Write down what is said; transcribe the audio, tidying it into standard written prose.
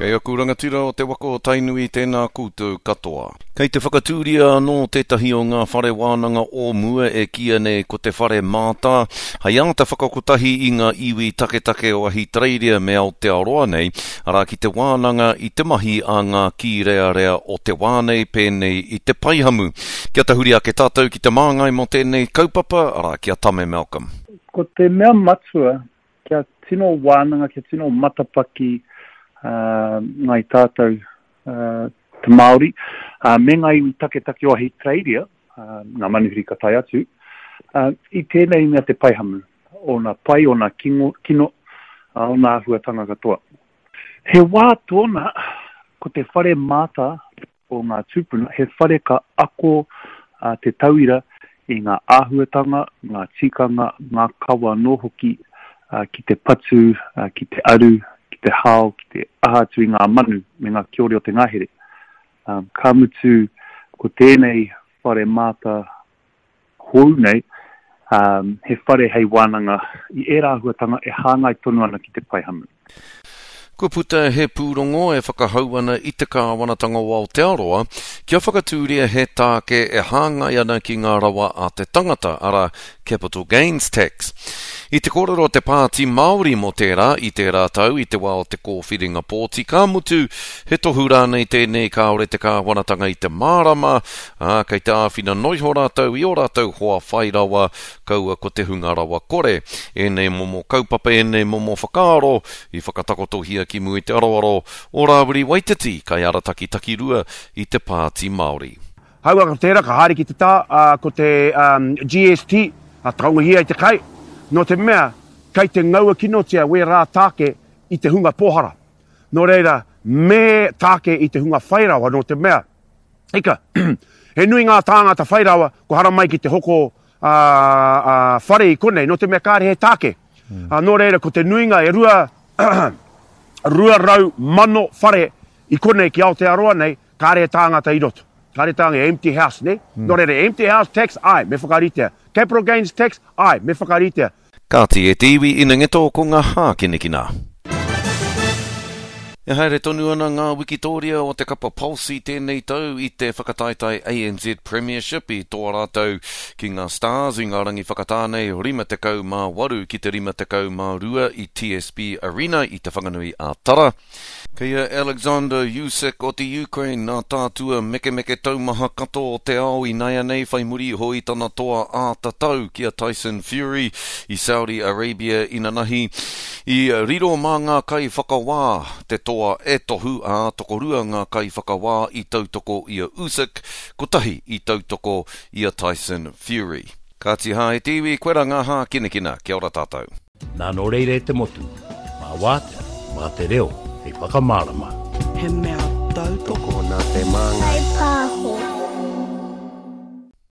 Kei aku rangatira o te waka o Tainui tēnā koutou katoa. Kei te whakatūria anō tētahi o ngā whare wānanga o mua e kīia nei ko Te Whare Mātā, hei āta whakakotahi i ngā iwi taketake o Ahitereiria me Aotearoa nei, arā ki te wānanga i te mahi a ngā kīrearea o te wā nei pēnei i te paihamu. Kia tahuri ake tātou ki te māngai mō tēnei kaupapa, arā ki a Tame Malcolm. Ko te mea matua Kia tino wānanga, kia tino matapaki ngāi tātou te Māori, me ngā iwi taketake o Ahitereiria, ngā manuhiri ka tae atu, i tēnei mea te paihamu, ōna pai, ōna kino, ōna āhuatanga katoa. He wā tōna ko te whare māta o ngā tūpuna, he whare ka ako te tauira i ngā āhuatanga, ngā tikanga, ngā kawa anō hoki ki te patu, ki te aru, ki te hao, ki te aha atu i ngā manu me ngā kiore o te ngahere. Ka mutu, ko tēnei whare māta hou nei, he whare hei wānanga i ērā āhuatanga e hāngai tonu ana ki te paihamu. Kua puta he pūrongo e whakahau ana i te Kāwanatanga o Aotearoa kia whakatūria he tāke e hāngai ana ki ngā rawa a te tangata, arā, capital gains tax. I te kōrero te Pāti Māori mō tērā i tērā tau i te wā o te kōwhiringa pōti, ka mutu, he tohu rānei tēnei kāore te kāwanatanga i te mārama, ā, kei te āwhina noiho rātou i ō rātou hoa whai rawa, kaua ko te hunga rawa kore. Ēnei momo kaupapa, ēnei momo whakaaro i whakatakotohia ki mua i te aroaro o Rāwiri Waititi, kaiarataki takirua i te Pāti Māori. Haua ko tērā ka haere ki te tā, ā, ko te GST, ā, taongohia i te kai, nō te mea kei te ngaua kinotia wērā tāke i te hunga pōhara. Nō reira, me tāke i te hunga whai rawa nō te mea, Ika, he nui ngā tāngata whai rawa kua haramai ki te hoko ā, ā, whare i konei, nō te mea kāre he tāke. Mm. Ā, nō reira, ko te nuinga e rua, 200,000 whare i konei ki Aotearoa nei, kāre he tāngata i roto. Kāre tāngata, empty house, ne? Mm. Nō reira, empty house tax, ai, me whakaritea. Capital gains tax, ai, me whakaritea. Kāti e te iwi ina ngeto ko ngā hākinakina. E haere tonu ana ngā wikitōria o te kapa Pulse i tēnei tau i te whakataetae ANZ Premiership i toa rātou ki ngā Stars i ngā rangi whakatā nei 58 ki te 52 i TSB Arena i Te Whanganui a Tara. Kei a Alexander Usyk o te Ukraine nā tātua mekemeke taumaha katoa o te ao inaianei whai muri iho i tana toa āta tau ki a Tyson Fury i Saudi Arabia inanahi. I riro mā ngā kaiwhakawā te toa e tohu, ā, tokorua ngā kaiwhakawā i tautoko i a Usyk, kotahi i tautoko i a Tyson Fury. Kāti hā e te iwi, koe rā ngā hākinakina. Kia ora tātou. Nā nō reira e te motu, mā wātea, mā te reo hei whakamārama. He mea tautoko. Tokona te māngai. Whai pāho.